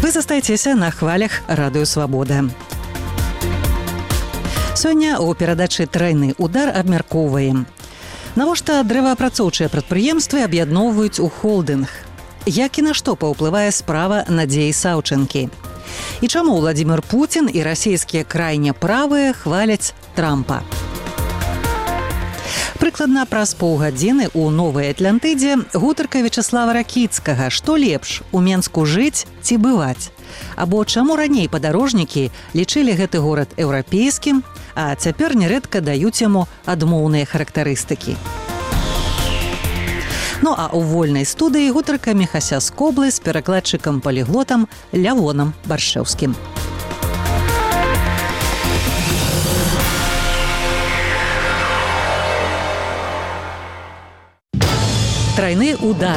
Вы застаецеся на хвалях Радыё Свабода. Сёння ў перадачы «Трайны удар» абмяркоўваем. Навошта дрэваапрацоўчыя прадпрыемствы аб'ядноўваюць у холдынг? Як і на што паўплывае справа Надзеі Саўчэнкі? І чаму Владзімір Пуцін і расійскія крайне правыя хваляць Трампа? Прыкладна праз паўгадзіны ў Новай Атлантыдзе гутарка Вячаслава Ракіцкага: што лепш, у Менску жыць ці бываць? Або чаму раней падарожнікі лічылі гэты горад еўрапейскім, а цяпер нярэдка даюць яму адмоўныя характарыстыкі. Ну а ў вольнай студыі гутарка Міхася Скоблы з перакладчыкам-паліглотам Лявонам Баршэўскім. Трайны удар.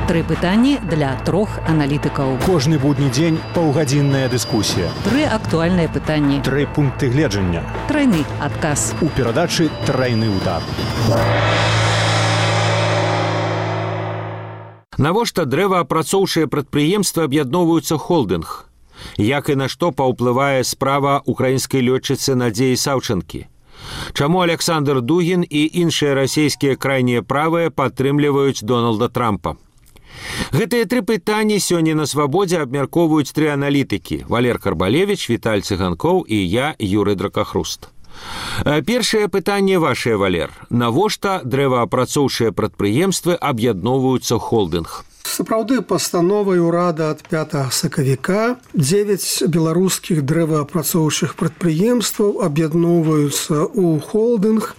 3 пытанні для 3 аналітыкаў. Кожны будні дзень паўгадзінная дыскусія. 3 актуальныя пытанні. 3 пункты гледжання. Трайны адказ. У перадачы «Трайны удар». Навошта дрэваапрацоўчыя прадпрыемствы аб'ядноўваюцца холдынг? Як і на што паўплывае справа украінскай лётчыцы Надзеі Саўчэнкі? Чаму Александр Дугін і іншыя расійскія крайнія правыя падтрымліваюць Дональда Трампа? Гэтыя 3 пытанні сёння на Свабодзе абмяркоўваюць 3 аналітыкі: Валер Карбалевіч, Віталь Цыганкоў і я, Юрый Дракахруст. Першае пытанне вашае, Валер. Навошта дрэваапрацоўчыя прадпрыемствы аб'ядноўваюцца ў холдынг? Сапраўды, пастановай урада ад 5 сакавіка 9 беларускіх дрэваапрацоўчых прадпрыемстваў аб'ядноўваюцца ў холдынг.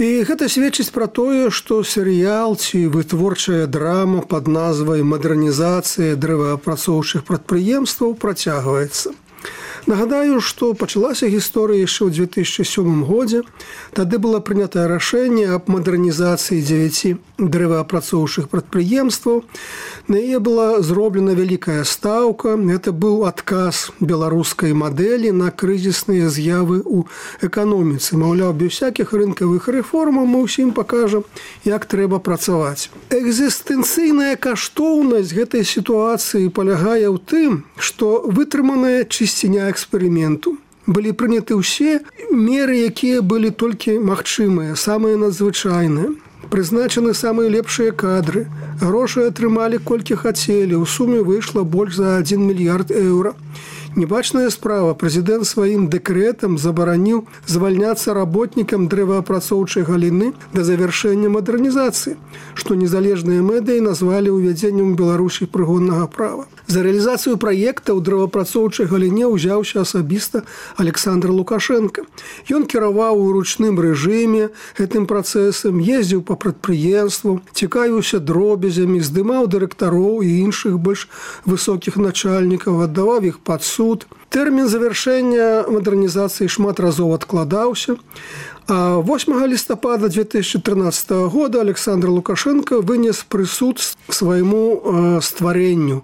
І гэта сведчыць пра тое, што серыял ці вытворчая драма пад назвай «Мадэрнізацыя дрэваапрацоўчых прадпрыемстваў» працягваецца. Нагадаю, што пачалася гісторыя яшчэ ў 2007 годзе. Тады было прынятае рашэнне аб мадэрнізацыі 9 дрэваапрацоўчых прадпрыемстваў. На яе была зроблена вялікая стаўка. Гэта быў адказ беларускай мадэлі на крызісныя з'явы ў эканоміцы. Маўляў, без всякіх рынкавых рэформаў мы ўсім пакажам, як трэба працаваць. Экзістэнцыйная каштоўнасць гэтай сітуацыі палягае ў тым, што вытрыманая чысціня эксперыменту. Былі прыняты ўсе меры, якія былі толькі магчымыя, самыя надзвычайныя. Прызначаны самыя лепшыя кадры. Грошы атрымалі колькі хацелі. У суме выйшла больш за 1 мільярд еўра. Небачная справа. Прэзідэнт сваім дэкрэтам забараніў звальняцца работнікам дрэваапрацоўчай галіны да завяршэння мадэрнізацыі, што незалежныя медыі назвалі ўвядзеннем у Беларусі прыгоннага права. За рэалізацыю праекта ў дрэваапрацоўчай галіне ўзяўся асабіста Александр Лукашенко. Ён кіраваў у ручным рэжыме гэтым працэсам, ездзіў па прадпрыемству, цікавіўся дробязямі, здымаў дырэктароў і іншых больш высокіх начальнікаў, аддаваў іх пад суд. Тэрмін завяршэння мадэрнізацыі шмат разоў адкладаўся. А 8 лістапада 2013 года Александр Лукашенко вынес прысуд к свайму стварэнню.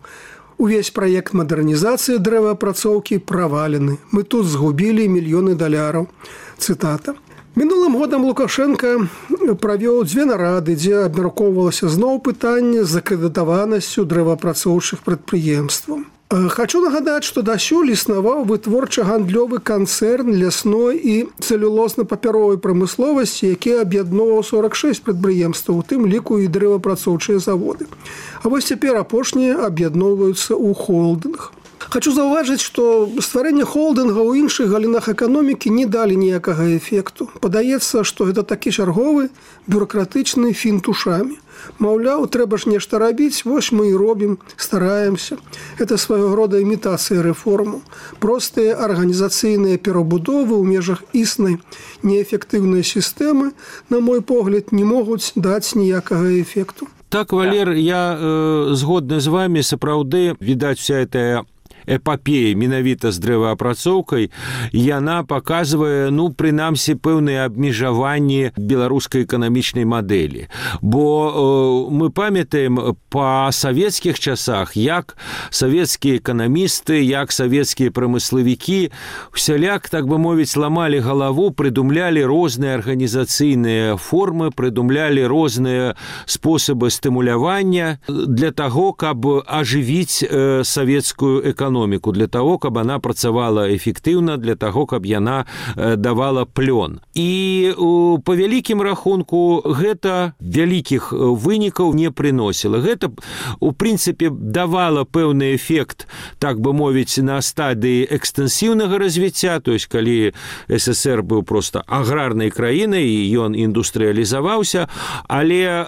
Увесь праект мадэрнізацыі дрэваапрацоўкі правалены. Мы тут згубілі мільёны даляраў. Цытата. Мінулым годам Лукашенко правёў 2 нарады, дзе абмяркоўвалася зноў пытанне з акрэдытаванасцю дрэваапрацоўчых прадпрыемстваў. Хачу нагадаць, што дасюль існаваў вытворча-гандлёвы канцэрн лясной і цэлюлозна-папяровай прамысловасці, які аб'ядноўваў 46 прадпрыемстваў, у тым ліку і дрэваапрацоўчыя заводы. А вось цяпер апошнія аб'ядноўваюцца ў холдынг. Хачу заўважыць, што стварэнне холдынга ў іншых галінах эканомікі не далі ніякага эфекту. Падаецца, што гэта такі чарговы бюракратычны фінт ушамі. Маўляў, трэба ж нешта рабіць, вось мы і робім, стараемся. Это свайго рода імітацыя рэформу. Простыя арганізацыйныя перабудовы ў межах існай неэфектыўнай сістэмы, на мой погляд, не могуць даць ніякага эфекту. Так, Валер, я згодны з вами, сапраўды, відаць, вся эта эпапея менавіта з дрэваапрацоўкай, яна паказвае, прынамсі, пэўныя абмежаванні беларускай эканамічнай мадэлі. Бо мы памятаем па савецкіх часах, як савецкія эканамісты, як савецкія прамыславікі усяляк, так бы мовіць, ламалі галаву, прыдумлялі розныя арганізацыйныя формы, прыдумлялі розныя спосабы стымулявання для таго, каб ажывіць савецкую эканоміку, для таго, каб она працавала эфектыўна, для таго, каб яна давала плён. І па вялікім рахунку гэта вялікіх вынікаў не прыносіла. Гэта, у прынцыпе, давала пэўны эфект, так бы мовіць, на стадыі экстэнсіўнага развіцця, то есть калі СССР быў проста аграрнай краінай, і ён індустрыялізаваўся, але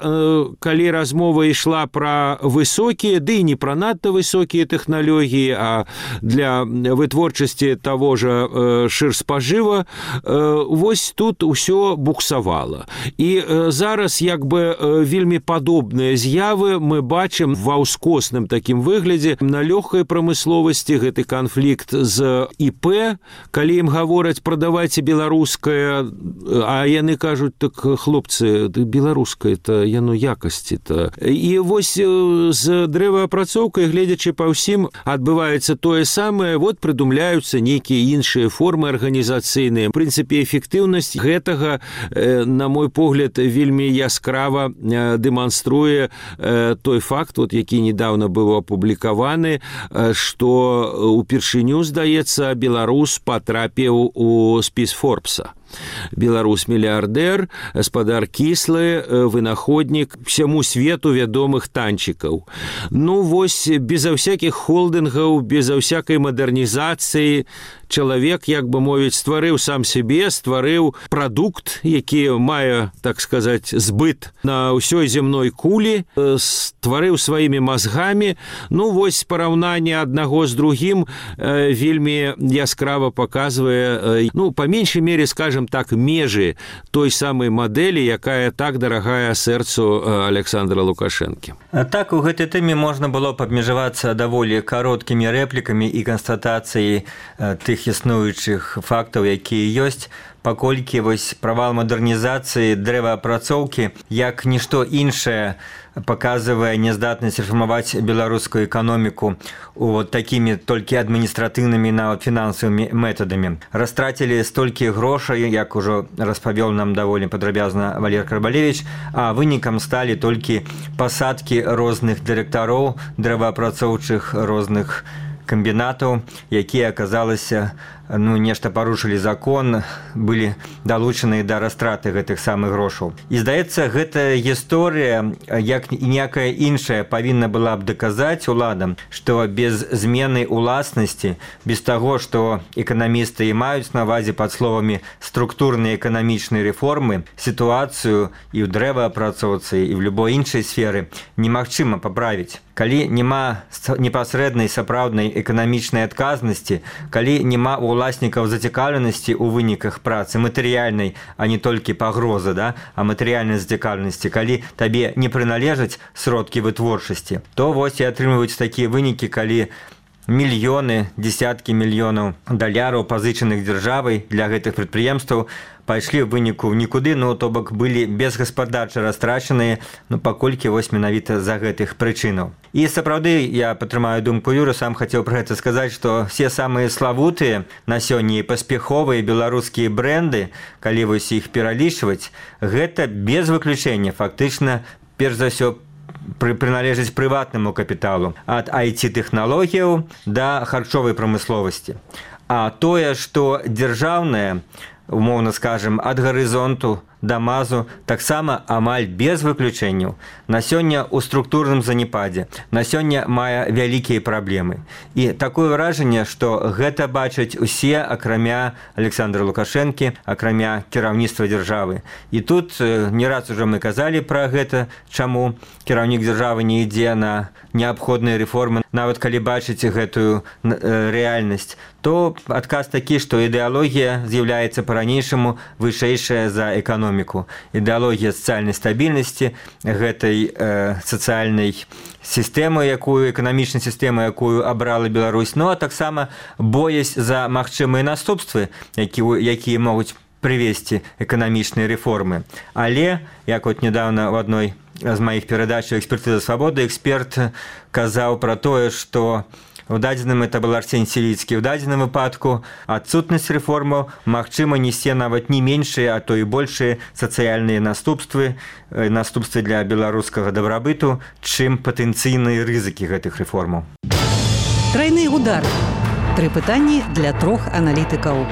калі размова ішла пра высокія, ды і не пра надта высокія тэхналогіі, а для вытворчасці таго ж шырспажыва, вось тут усё буксавала. І зараз як бы вельмі падобныя з'явы мы бачым ва ўскосным такім выглядзе на лёгкай прамысловасці. Гэты канфлікт з ІП, калі ім гавораць прадавайце беларускае, а яны кажуць, так, хлопцы, беларускае-то яно якасці-то. І вось з дрэваапрацоўкай, гледзячы па ўсім, адбываецца тое самае, вот прыдумляюцца нейкія іншыя формы арганізацыйныя. В прынцыпе, эфектыўнасць гэтага, на мой погляд, вельмі яскрава дэманструе той факт, які недавно быў апублікаваны, што упершыню, здаецца, беларус патрапіў у спіс Форбса. Беларус-мільярдэр, гаспадар кіслы, вынаходнік всяму свету вядомых танчыкаў. Вось беза всякіх холдынгаў, беза всякай мадэрнізацыі чалавек, як бы мовіць, стварыў сам сябе, стварыў прадукт, які мае, так сказаць, збыт на ўсёй зямной кулі, стварыў сваімі мазгамі. Вось параўнанне аднаго з другім вельмі яскрава паказвае, па меншай мере, скажем так, межы той самай мадэлі, якая так дарагая сэрцу Александра Лукашэнкі. Так, у гэтай тэме можна было б абмежавацца даволі кароткімі рэплікамі і канстатацыяй тых існуючых фактаў, якія ёсць, паколькі вось правал мадэрнізацыі дрэваапрацоўкі, як нішто іншае, паказвае няздатнасць рэфармаваць беларускую эканоміку такімі толькі адміністратыўнымі нават фінансавымі метадамі. Растрацілі столькі грошай, як ужо распавёў нам даволі падрабязна Валер Карбалевіч, а вынікам сталі толькі пасадкі розных дырэктароў дрэваапрацоўчых розных камбінатаў, якія, аказалася, нешта парушылі закон, былі далучаны да растраты гэтых самых грошаў. І, здаецца, гэтая гісторыя, як і ніякая іншая, павінна была б даказаць уладам, што без змены ўласнасці, без таго, што эканамісты і маюць на ўвазе пад словамі структурныя эканамічныя рэформы, сітуацыю і ў дрэваапрацоўцы, і ў любой іншай сферы немагчыма паправіць. Калі няма непасрэднай сапраўднай эканамічнай адказнасці, калі няма уласнікаў зацікаўленасці ў выніках працы, матэрыяльнай, а не толькі пагрозы, а матэрыяльнай зацікаўленасці, калі табе не прыналежаць сродкі вытворчасці, то вось і атрымліваюць такія вынікі, калі мільёны, дзесяткі мільёнаў даляраў, пазычаных дзяржавай для гэтых прадпрыемстваў, пайшлі ў выніку в нікуды, то бок былі безгаспадарча растрачаныя, паколькі вось менавіта за гэтых прычынаў. І сапраўды, я падтрымаю думку Юры, сам хацеў пра гэта сказаць, што все самыя славутыя на сёння і паспяховыя беларускія брэнды, калі вось іх пералічваць, гэта без выключэння фактычна, перш за ўсё, прыналежыць прыватнаму капіталу, ад IT-тэхналогіяў да харчовай прамысловасці. А тое, што дзяржаўнае, умоўна скажем, ад гарызонту да мазу, таксама амаль без выключэнняў, на сёння ў структурным занепадзе, на сёння мае вялікія праблемы. І такое ўражанне, што гэта бачаць усе, акрамя Александра Лукашэнкі, акрамя кіраўніцтва дзяржавы. І тут не раз ужо мы казалі пра гэта, чаму кіраўнік дзяржавы не ідзе на неабходныя рэформы, нават калі бачыце гэтую рэальнасць, то адказ такі, што ідэалогія з'яўляецца па-ранейшаму вышэйшая за эканоміку. эканоміку. Ідэалогія сацыяльнай стабільнасці гэтай сацыяльнай сістэмы, эканамічнай сістэмы, якую абрала Беларусь, ну а таксама боязь за магчымыя наступствы, якія могуць прывесці эканамічныя рэформы. Але, як вот недавно в адной з маіх перадач «Экспертыза свабоды» эксперт казаў пра тое, што у дадзеным, это был Арсень Селіцкі, у дадзеным выпадку адсутнасць рэформаў магчыма несе нават не меншыя, а то і большыя сацыяльныя наступствы для беларускага дабрабыту, чым патэнцыйныя рызыкі гэтых рэформаў. Трайны удар. 3 пытанні для 3 аналітыкаў.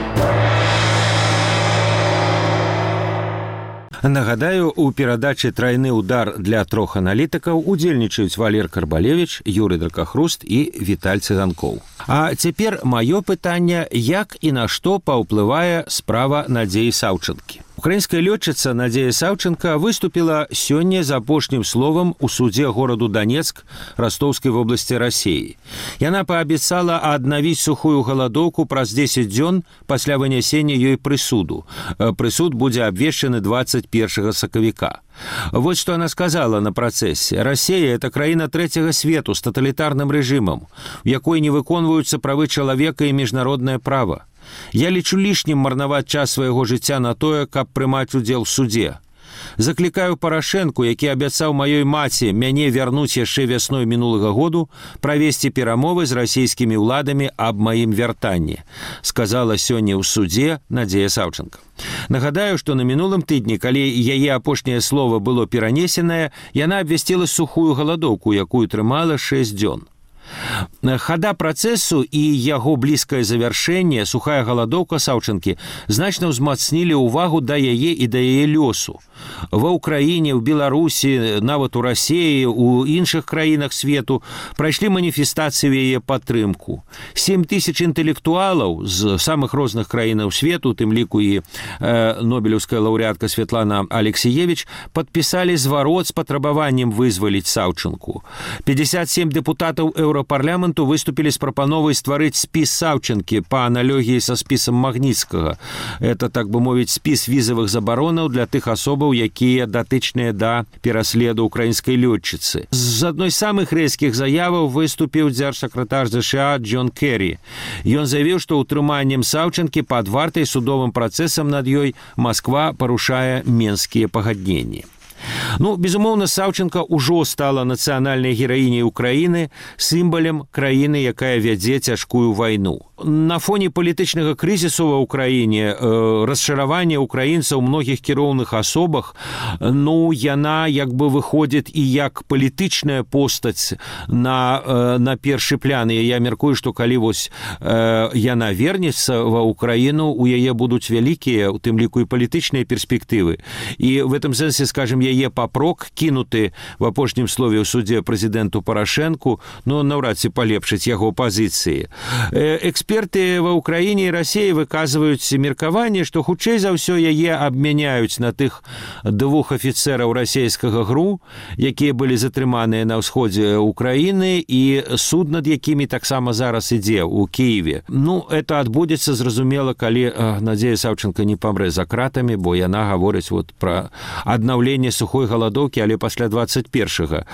Нагадаю, у перадачы «Трайны удар» для 3 аналітыкаў удзельнічаюць Валер Карбалевіч, Юрый Дракахруст і Віталь Цыганкоў. А цяпер маё пытанне, як і на што паўплывае справа Надзеі Саўчанкі. Украінская лётчыца Надзея Саўчанка выступила сёння з апошнім словам у судзе гораду Донецк Ростовскай вобласці Расіі. Яна паабяцала аднавіць сухую галадоўку праз 10 дзён пасля вынясення ёй прысуду. Прысуд будзе абвешчаны 21 сакавіка. Вот что она сказала на працэсе. Россия – это краіна трэцяга свету с тоталітарным рэжымам, у якой не выконваюцца правы чалавека і міжнароднае права. Я лічу лішнім марнаваць час свайго жыцця на тое, каб прымаць удзел в судзе. Заклікаю Парашэнку, які абяцаў маёй маці мяне вярнуць яшчэ вясной мінулага году, правесці перамовы з расійскімі ўладамі аб маім вяртанні, сказала сёння ў судзе Надзея Саўчанка. Нагадаю, што на мінулым тыдні, калі яе апошняе слова было перанесенае, яна абвясціла сухую галадоўку, якую трымала 6 дзён. Хада працэсу і яго блізкае завяршэнне, сухая галадоўка Саўчанкі, значна ўзмацнілі ўвагу да яе і да яе лёсу. Ва ўкраіне, ў Беларусі, нават у Расіі, у іншых краінах свету прайшлі маніфестацыі ў яе падтрымку. 7 тысяч інтэлектуалаў з самых розных краінаў свету, тым ліку і нобелеўская лаўрэатка Святлана Алексіевіч, падпісалі зварот з патрабаваннем вызваліць Саўчанку. 57 дэпутатаў Еўрапарламенту выступілі з прапановай стварыць спіс Саўчанкі па аналогіі са спісам Магніцкага. Это, так бы мовіць, спіс візавых забаронаў для тых асобаў, якія датычныя да пераследу украінскай лётчыцы. З адной з самых рэзкіх заяваў выступіў дзяржсакратар ЗША Джон Керрі. Ён заявіў, што ўтрыманнем Саўчанкі пад вартай судовым працэсам над ёй Масква парушае менскія пагадненні. Ну, безумоўна, Саўчанка ўжо стала нацыянальнай гераіняй Украіны, сімвалем краіны, якая вядзе цяжкую вайну. На фоне палітычнага крызісу ва ўкраіне, расчаравання украінцаў у многіх кіроўных асобах, ну, яна як бы выходзіць і як палітычная постаць на першы план. І я мяркую, што калі вось яна вернецца ва ўкраіну, у яе будуць вялікія, у тым ліку і палітычныя перспектывы. І в этом сэнсе, скажем, яе папрок, кінуты в апошнім слове ў судзе прэзідэнту Парашэнку, ну, наўрад ці палепшыць яго пазіцыі. Эксперты ва ўкраіне і Расіі выказваюць меркаванне, што хутчэй за ўсё яе абмяняюць на тых 2 афіцэраў расійскага ГРУ, якія былі затрыманыя на ўсходзе Украіны, і суд над якімі таксама зараз ідзе ў Кіеве. Ну, это адбудзецца, зразумела, калі Надзея Саўчанка не памрэ за кратамі, бо яна гаворыць вот пра аднаўленне сухой галадоўкі, але пасля 21-го.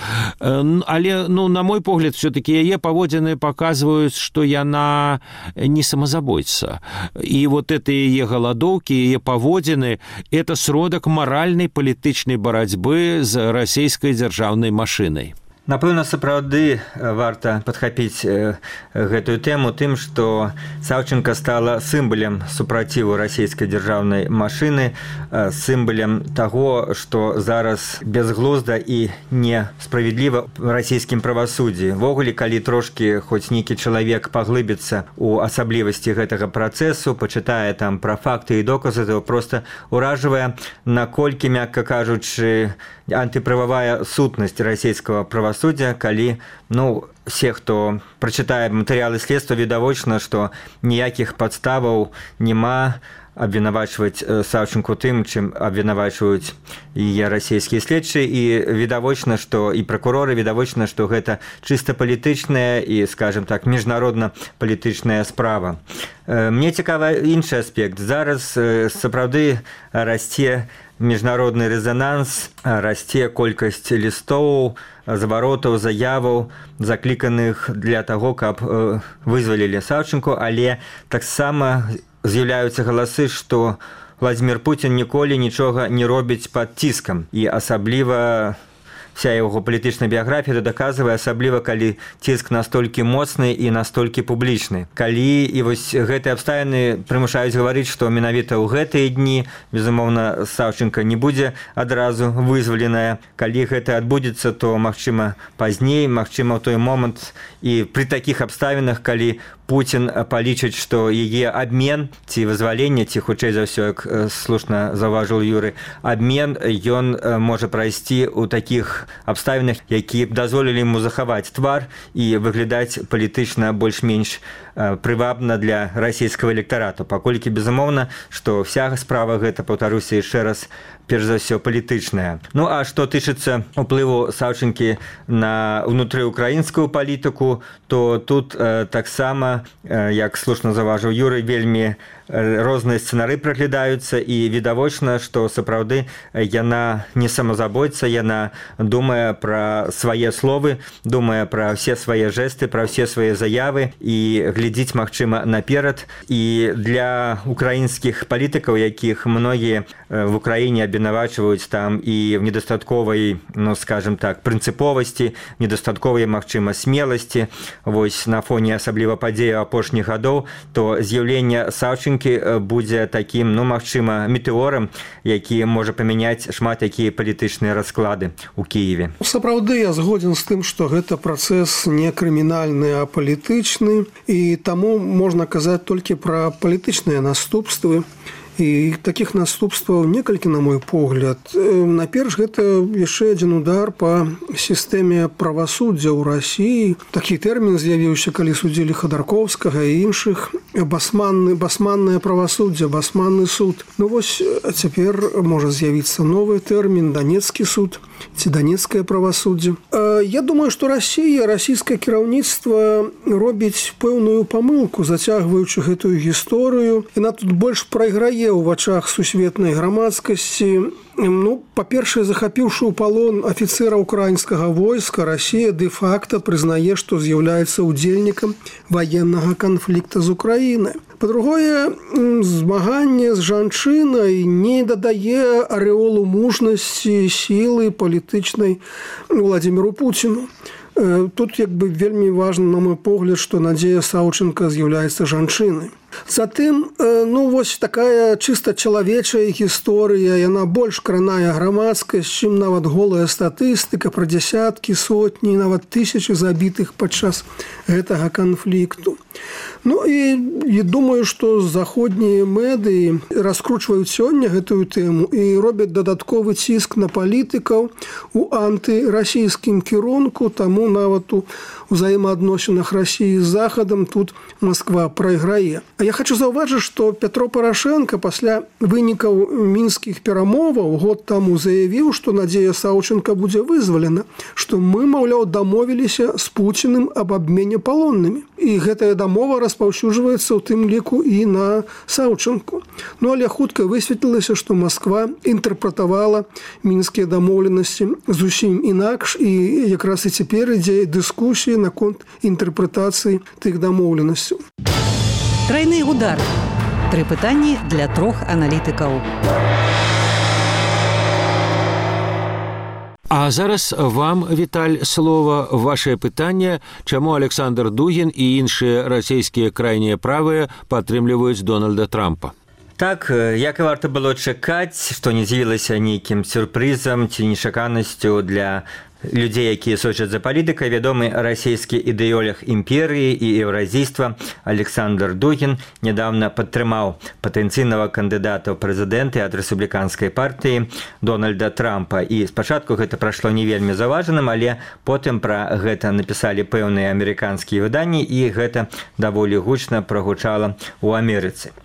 Але, ну, на мой погляд, все-таки яе паводзіны паказваюць, што яна не самазабойца. І вот это яе галадоўкі, яе паводзіны – это сродак маральнай палітычнай барацьбы з расійскай дзяржаўнай машынай. Напэўна, сапраўды варта падхапіць гэтую тэму тым, што Саўчанка стала сімвалем супраціву расійскай дзяржаўнай машыны, сімвалем таго, што зараз бязглузда і несправядліва ў расійскім правасуддзі. Ввогуле, калі трошкі хоць нейкі чалавек паглыбіцца ў асаблівасці гэтага працэсу, пачытае там пра факты і доказы, то проста ўражвае, наколькі, мякка кажучы, антыправавая сутнасць расійскага правасуддзя, калі, ну, все, хто прачытае матэрыялы следства, відавочна, што ніякіх падставаў няма абвінавачваць Саўчынку тым, чым абвінавачваюць яе расійскія следчыя, і відавочна, што і пракуроры відавочна, што гэта чыста палітычная і, скажем так, міжнародна-палітычная справа. Мне цікавы іншы аспект. Зараз сапраўды расце міжнародны рэзананс, расце колькасць лістоў, зваротаў, заяваў, закліканых для таго, каб вызвалілі Саўчынку, але таксама з'яўляюцца галасы, што Владзімір Пуцін ніколі нічога не робіць пад ціскам, і асабліва вся яго палітычная біяграфія это даказвае, асабліва калі ціск настолькі моцны і настолькі публічны. Калі і вось гэтыя абставіны прымушаюць гаварыць, што менавіта ў гэтыя дні, безумоўна, Саўчынка не будзе адразу вызваленая. Калі гэта адбудзецца, то, магчыма, пазней, магчыма, ў той момант і пры такіх абставінах, калі Пуцін палічыць, што яе абмен ці вызваленне, ці хутчэй за ўсё, як слушна заўважыў Юры, абмен ён можа прайсці ў такіх абставінах, які б дазволілі яму захаваць твар і выглядаць палітычна больш-менш прывабна для расійскага электарату, паколькі, безумоўна, што вся справа гэта, паўтаруся яшчэ раз, перш за ўсё палітычная. Ну а што тычыцца ўплыву Саўчынкі на ўнутрыўкраінскую палітыку, то тут таксама, як слушна заўважыў Юрый, вельмі розныя сцэнары праглядаюцца, і відавочна, што сапраўды яна не самазабойца, яна думае пра свае словы, думае пра ўсе свае жэсты, пра ўсе свае заявы і глядзіць, магчыма, наперад. І для украінскіх палітыкаў, якіх многія в Украіне абвінавачваюць там і в недастатковай, ну, скажем так, прынцыповасці, недастатковай, магчыма, смеласці, вось на фоне асабліва падзеяў апошніх гадоў, то з'яўленне Саўчынкі будзе такім, ну, магчыма, метэорам, які можа памяняць шмат якія палітычныя расклады ў Кіеве. Сапраўды я згодзін з тым, што гэта працэс не крымінальны, а палітычны, і таму можна казаць толькі пра палітычныя наступствы. І такіх наступстваў некалькі, на мой погляд. Наперш, гэта яшчэ адзін удар па сістэме правасуддзя ў Расіі. Такі тэрмін з'явіўся, калі судзілі Хадарковскага і іншых. Басманнае правасуддзе, басманны суд. Ну вось цяпер можа з'явіцца новы тэрмін, данецкі суд ці данецкае правасуддзе. Я думаю, што Расія, расійскае кіраўніцтва робіць пэўную памылку, зацягваючы гэтую гісторыю. Яна тут больш прайграе ў вачах сусветнай грамадскасці. Ну, па-першае, захапіўшы ў палон афіцэра ўкраінскага войска, Расія дэ-факта прызнае, што з'яўляецца ўдзельнікам ваеннага канфлікта з Украінай. Па-другое, змаганне з жанчынай не дадае арэолу мужнасці, сілы палітычнай Владзіміру Пуціну. Тут як бы вельмі важна, на мой погляд, што Надзея Саўчынка з'яўляецца жанчынай. Затым, ну, вось такая чыста чалавечая гісторыя, яна больш кранае грамадскасць, чым нават голая статыстыка пра дзясяткі, сотні, нават тысячы забітых падчас гэтага канфлікту. Ну і думаю, што заходнія медыі раскручваюць сёння гэтую тэму і робяць дадатковы ціск на палітыкаў у антырасійскім кірунку, таму нават у ўзаемаадносінах Расіі з Захадам тут Масква прайграе. А я хочу заўважыць, што Пятро Парашенко пасля вынікаў мінскіх перамоваў год таму заявіў, што Надзея Саўчынка будзе вызвалена, што мы, маўляў, дамовіліся з Пуціным аб абмене палоннымі. І гэтая дамова распаўсюджваецца ў тым ліку і на Саўчынку. Ну, але хутка высветлілася, што Масква інтэрпрэтавала мінскія дамоўленасці зусім інакш, і якраз і цяпер ідзе дыскусія наконт інтэрпрэтацыі тых дамоўленасцяў. Тройны удар. 3 пытанні для 3 аналітыкаў. А зараз вам, Віталь, слова, ваше пытанне, чаму Александр Дугін і іншыя расійскія крайнія правыя падтрымліваюць Дональда Трампа? Так, як і варта было чакаць, што не з'явілася нейкім сюрпрызам ці нечаканасцю для людзей, якія сочаць за палітыкай, вядомы расійскі ідэолог імперыі і еўразійства Александр Дугін нядаўна падтрымаў патэнцыйнага кандыдата ў прэзідэнты ад рэспубліканскай партыі Дональда Трампа. І спачатку гэта прайшло не вельмі заўважаным, але потым пра гэта напісалі пэўныя амерыканскія выданні, і гэта даволі гучна прагучала ў Амерыцы.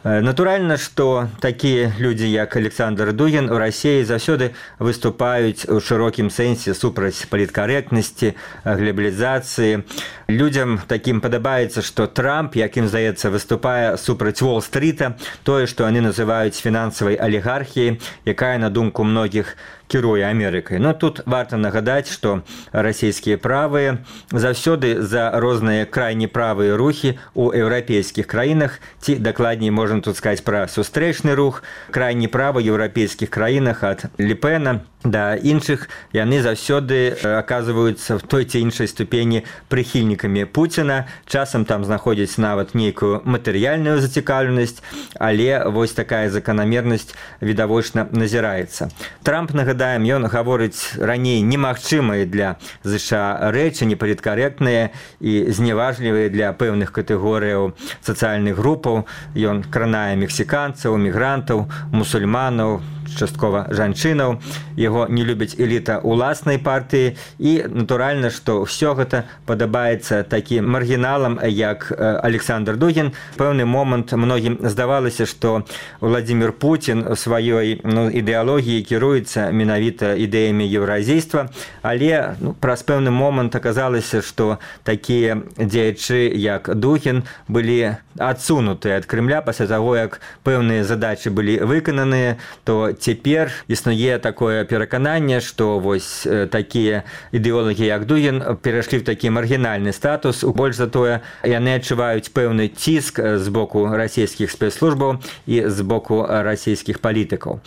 Натуральна, што такія людзі, як Александр Дугін, у Расіі заўсёды выступаюць у шырокім сэнсе супраць паліткарэктнасці, глобалізацыі. Людзям такім падабаецца, што Трамп, як ім здаецца, выступае супраць Уолл-стріта, тое, што яны называюць фінансавай алігархіяй, якая, на думку многіх, кіруе Амерыкай. Но тут варта нагадаць, што расійскія правыя заўсёды за розныя крайне правыя рухі ў еўрапейскіх краінах, ці дакладней можна тут сказаць пра сустрэчны рух, крайне правы ў еўрапейскіх краінах ад Ле-Пена да іншых, яны заўсёды аказваюцца в той ці іншай ступені прыхільнікамі Пуціна, часам там знаходзяць нават нейкую матэрыяльную зацікаўленасць, але вось такая заканамернасць відавочна назіраецца. Трамп, нагадаем, ён гаворыць раней немагчымыя для ЗША рэчы, непаліткарэктныя і зневажлівыя для пэўных катэгорыяў сацыяльных групаў. Ён кранае мексіканцаў, мігрантаў, мусульманаў, часткова жанчынаў, яго не любіць эліта ўласнай партыі і натуральна, што ўсё гэта падабаецца такім маргіналам, як Александр Дугін. Пэўны момант многім здавалася, што Владзімір Пуцін у сваёй ідэалогіі кіруецца менавіта ідэямі еўразійства, але праз пэўны момант аказалася, што такія дзеячы, як Дугін, былі адсунутыя ад Крымля пасля таго, як пэўныя задачы былі выкананыя, то цяпер існуе такое перакананне, што вось такія ідэолагі, як Дугін, перайшлі ў такі маргінальны статус. Больш за тое, яны адчуваюць пэўны ціск з боку расійскіх спецслужбаў і з боку расійскіх палітыкаў.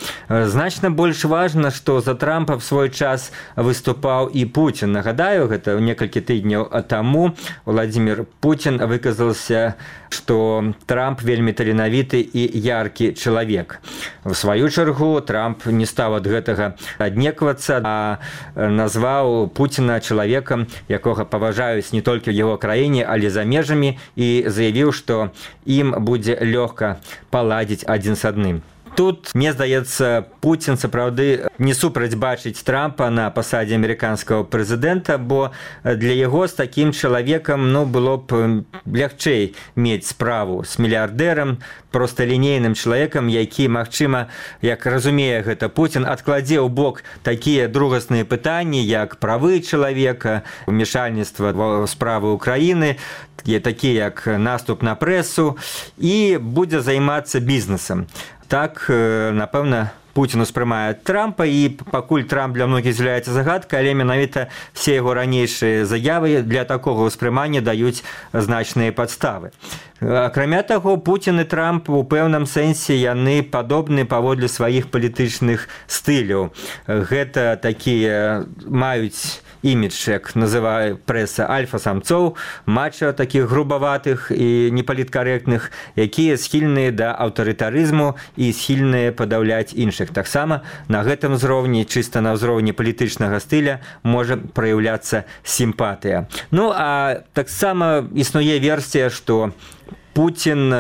Значна больш важна, што за Трампа в свой час выступаў і Пуцін. Нагадаю, гэта некалькі тыдняў таму Владзімір Пуцін выказаўся, што Трамп вельмі таленавіты і яркі чалавек. В сваю чаргу Трамп не стаў ад гэтага аднеквацца, а назваў Пуціна чалавекам, якога паважаюць не толькі ў яго краіне, але за межамі, і заявіў, што ім будзе лёгка паладзіць адзін з адным. Тут, мне здаецца, Пуцін сапраўды не супраць бачыць Трампа на пасадзе амерыканскага прэзідэнта, бо для яго з такім чалавекам было б лягчэй мець справу з мільярдэрам, просталінейным чалавекам, які, магчыма, як разумее гэта Пуцін, адкладзе ў бок такія другасныя пытанні, як правы чалавека, ўмешальніцтва ў справы ўкраіны, такія як наступ на прэсу, і будзе займацца бізнесам. Так, напэўна, Пуцін успрымае Трампа, і пакуль Трамп для многіх з'яўляецца загадкай, але менавіта все яго ранейшыя заявы для такога ўспрымання даюць значныя падставы. Акрамя таго, Пуцін і Трамп у пэўным сэнсе яны падобны паводле сваіх палітычных стыляў. Гэта такія маюць імідж, як называе прэса, альфа-самцоў, мача такіх грубаватых і непаліткарэктных, якія схільныя да аўтарытарызму і схільныя падаўляць іншых. Таксама на гэтым узроўні, чыста на ўзроўні палітычнага стыля, можа праяўляцца сімпатыя. А таксама існуе версія, што Пуцін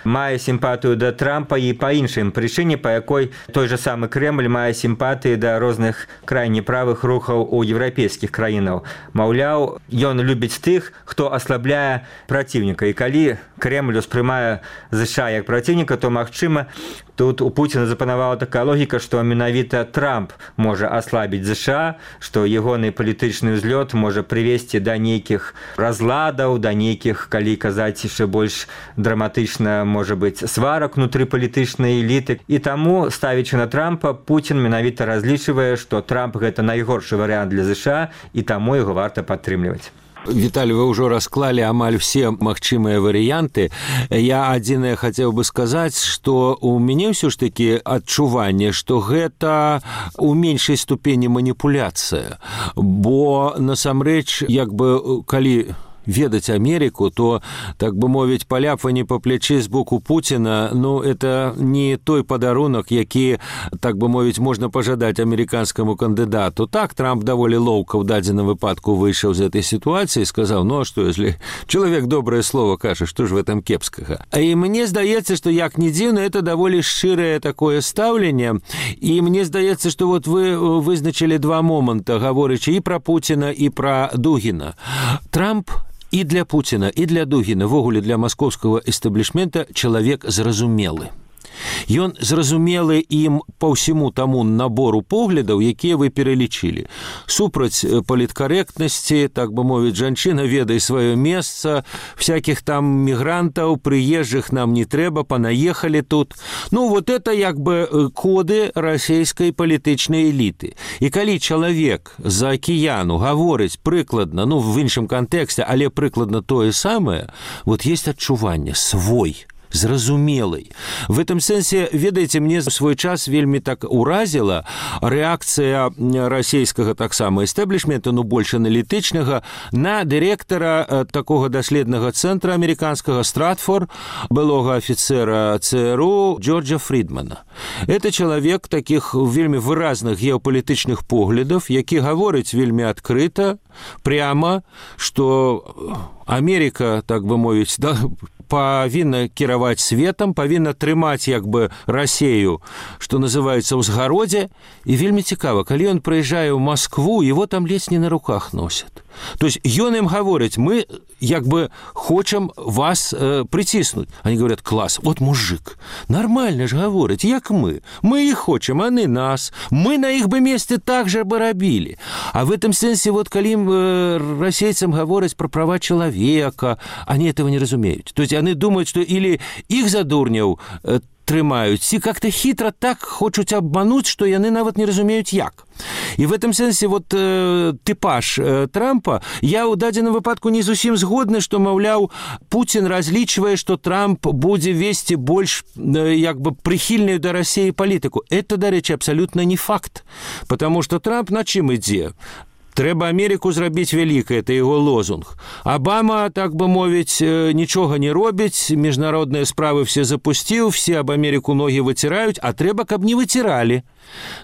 мае сімпатыю да Трампа і па іншым прычыне, па якой той жа самы Крэмль мае сімпатыі да розных крайне правых рухаў у еўрапейскіх краінаў. Маўляў, ён любіць тых, хто аслабляе праціўніка. І калі Крэмль успрымае ЗША як праціўніка, то, магчыма, тут у Пуціна запанавала такая логіка, што менавіта Трамп можа аслабіць ЗША, што ягоны палітычны ўзлёт можа прывесці да нейкіх разладаў, да нейкіх, калі казаць яшчэ больш драматычна, можа быць, сварак унутры палітычнай эліты. І таму, ставячы на Трампа, Пуцін менавіта разлічвае, што Трамп гэта найгоршы варыянт для ЗША, і таму яго варта падтрымліваць. Віталий, вы ўжо расклалі амаль все магчымыя варыянты. Я адзінае хацеў бы сказаць, што у мяне ўсё ж такі адчуванне, што гэта у меншай ступені маніпуляцыя. Бо, насамрэч, як бы, калі ведаць Америку, то, так бы мовіць, паляпванне па плячы з боку Пуціна, это не той падарунак, які, так бы мовіць, можна пажадаць амерыканскаму кандыдату. Так, Трамп даволі лоўка ў дадзеным выпадку выйшаў з этой сітуацыі і сказаў, а што, если чалавек добрае слово кажа, што ж в этом кепскага? І мне здаецца, што, як не дзіўна, это даволі шчырае такое стаўленне, і мне здаецца, што вот вы вызначылі два моманта, гаворычы і пра Пуціна, і пра Дугіна. Трамп і для Пуціна, і для Дугіна, ввогуле для маскоўскага эстаблішмента чалавек зразумелы. Ён зразумелы ім па ўсяму таму набору поглядаў, якія вы пералічылі. Супраць паліткарэктнасці, так бы мовіць, жанчына ведай сваё месца, всякіх там мігрантаў, прыезджых нам не трэба, панаехалі тут. Ну, вот это як бы коды расійскай палітычнай эліты. І калі чалавек з-за акіяну гаворыць прыкладна, ну, в іншым кантэксце, але прыкладна тое самае, вот есть адчуванне свой, зразумелый. В этом сэнсе, ведаеце, мне в свой час вельмі так уразіла рэакцыя расійскага таксама эстаблішмента, ну, больш аналітычнага, на дырэктара такога даследнага цэнтра амерыканскага Стратфор, былога афіцэра ЦРУ Джорджа Фрідмана. Это чалавек такіх вельмі выразных геапалітычных поглядаў, які гаворыць вельмі адкрыта, пряма, што Америка, так бы мовіць, да, павінна кіраваць светам, павінна трымаць як бы Расею, што называецца ўзгародзе. І вельмі цікава, калі ён прыязджае ў Москву, его там ледзь не на руках носят. То есть ён ім гаворыць, мы як бы хочам вас прыціснуць. Они говорят, класс, вот мужик, нормально ж гаворыць, як мы іх хочам, они нас, мы на іх бы месте так же бы рабілі. А в этом сэнсе, вот калі расейцам гавораць про права человека, они этого не разумеют. То есть они думают, что или их за дурняў трымаюць, ці как-то хитро так хочуць обмануть, что яны нават не разумеюць як. І в этом сэнсе вот типаж Трампа, я ў дадзеным выпадку не зусім згодны, што, маўляў, Путін разлічвае, што Трамп будзе весці больш як бы прыхільную да Расіі палітыку. Это, дарэчы, абсолютно не факт, потому что Трамп на чым ідзе? Трэба Америку зрабіць вялікай, это яго лозунг. Обама, так бы мовіць, нічога не робіць, міжнародныя справы все запусціў, все аб Америку ногі выціраюць, а трэба, каб не выціралі.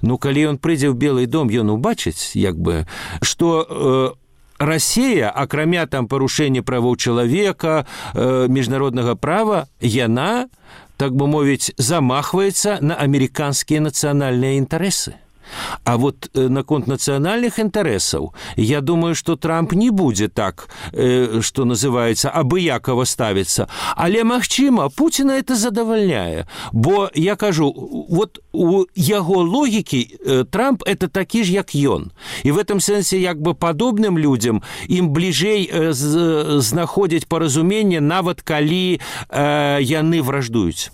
Ну, калі ён прыйдзе ў Белый дом, ён убачыць, як бы, што Расія, акрамя там парушэння правоў чалавека, міжнароднага права, яна, так бы мовіць, замахваецца на амерыканскія нацыянальныя інтарэсы. А вот наконт нацыянальных інтарэсаў, я думаю, што Трамп не будзе так, што называецца, абыякава ставіцца. Але, магчыма, Пуціна это задавальняе. Бо, я кажу, вот у яго логікі Трамп это такі ж, як ён. І в этом сэнсе, як бы падобным людзям ім бліжэй знаходзіць паразуменне, нават калі яны враждуюць.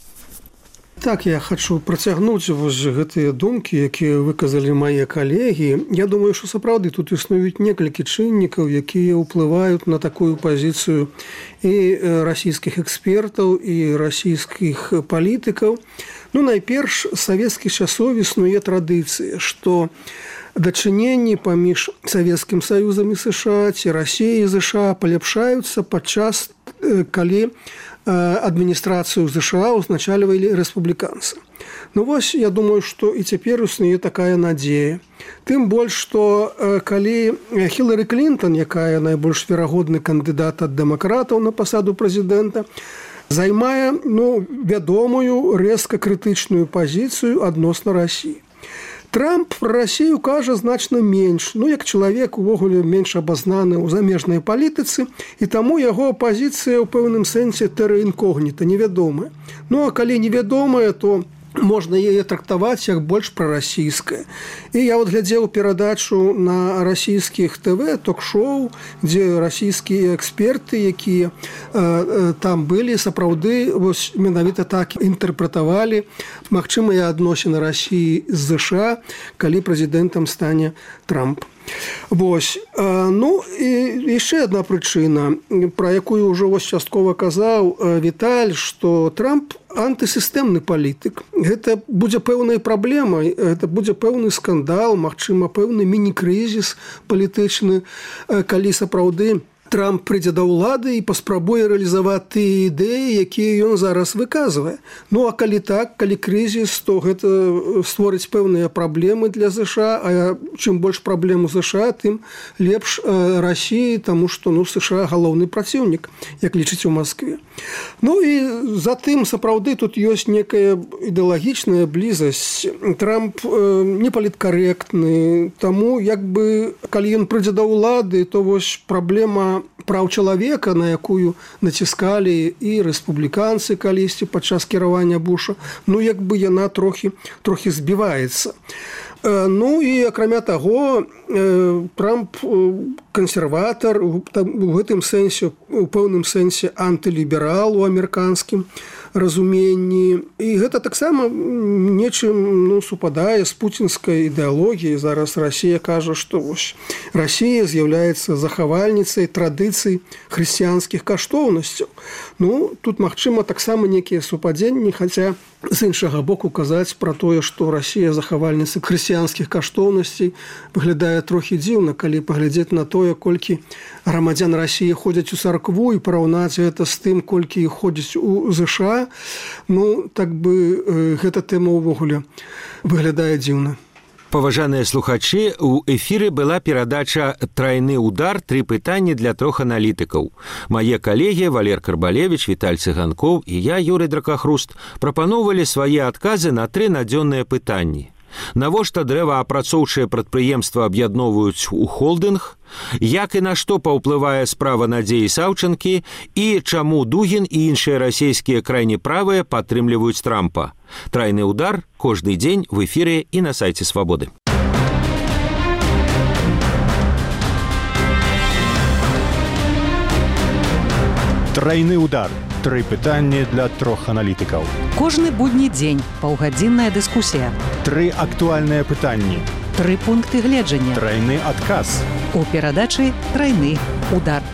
Так, я хочу працягнуць вось гэтыя думкі, якія выказалі мае калегі. Я думаю, што сапраўды тут існуюць некалькі чыннікаў, якія ўплываюць на такую пазіцыю і расійскіх экспертаў, і расійскіх палітыкаў. Ну, найперш, савецкіх часоў існуе традыцыя, што дачыненні паміж Савецкім Саюзам і США ці Расіяй і ЗША паляпшаюцца падчас, калі адміністрацыю ЗША узначальвалі рэспубліканцы. Ну вось, я думаю, што і цяпер існуе такая надзея. Тым больш, што калі Хілары Клінтон, якая найбольш верагодны кандыдат ад дэмакратаў на пасаду прэзідэнта, займае, ну, вядомую рэзка крытычную пазіцыю адносна Расіі. Трамп пра Расію кажа значна менш, ну, як чалавек увогуле менш абазнаны ў замежнай палітыцы, і таму яго пазіцыя ў пэўным сэнсе тэра інкогніта, невядомая. Ну, а калі невядомая, то можна яе трактаваць як больш прарасійская. І я вот глядзеў перадачу на расійскіх ТВ, ток-шоу, дзе расійскія эксперты, якія там былі, сапраўды вось менавіта так інтэрпрэтавалі магчымыя адносіны Расіі з ЗША, калі прэзідэнтам стане Трамп. Вось. Ну, і яшчэ адна прычына, пра якую ўжо вось часткова казаў Віталь, што Трамп антысістэмны палітык. Гэта будзе пэўнай праблемай, гэта будзе пэўны скандал, магчыма, пэўны міні-крызіс палітычны, калі сапраўды Трамп прыйдзе да ўлады і паспрабуе рэалізаваць тыя ідэі, якія ён зараз выказвае. Ну, а калі так, калі крызіс, то гэта створыць пэўныя праблемы для ЗША, а чым больш праблем у ЗША, тым лепш Расіі, таму што, ну, ЗША галоўны праціўнік, як лічыць у Маскве. Ну, і затым, сапраўды, тут ёсць некая ідэалагічная блізасць. Трамп не паліткарэктны, таму, як бы, калі ён прыйдзе да ўлады, то вось праблема тэма праў чалавека, на якую націскалі і рэспубліканцы калісьці падчас кіравання Буша, як бы яна трохі збіваецца. Ну і акрамя таго, Трамп кансерватар, у гэтым сэнсе, у пэўным сэнсе антыліберал у амерыканскім разуменні. І гэта таксама нечым супадае з пуцінскай ідэалогіяй. Зараз Расія кажа, што Расія з'яўляецца захавальніцай традыцый хрысціянскіх каштоўнасцяў. Тут магчыма таксама некія супадзенні, хаця з іншага боку казаць пра тое, што Расія захавальніца хрысціянскіх каштоўнасцей выглядае трохі дзіўна, калі паглядзець на тое, колькі грамадзян Расіі ходзяць у царкву і параўнаць гэта з тым, колькі іх ходзяць у ЗША. Так бы гэта тэма ўвогуле выглядае дзіўна. Паважаныя слухачы, у эфіры была перадача «Трайны удар. 3 пытанні для 3 аналітыкаў». Мае калегі Валер Карбалевіч, Віталь Цыганкоў і я, Юрый Дракахруст, прапаноўвалі свае адказы на 3 надзённыя пытанні. Навошта дрэваапрацоўчыя прадпрыемства аб'ядноўваюць у холдынг? Як і на што паўплывае справа Надзеі Саўчанкі? І чаму Дугін і іншыя расійскія крайне правыя падтрымліваюць Трампа? Трайны удар кожны дзень в эфіры і на сайце Свабоды. Трайны удар. 3 пытанні для 3 аналітыкаў. Кожны будні дзень паўгадзінная дыскусія. 3 актуальныя пытанні. 3 пункты гледжання. Трайны адказ. У перадачы «Трайны удар».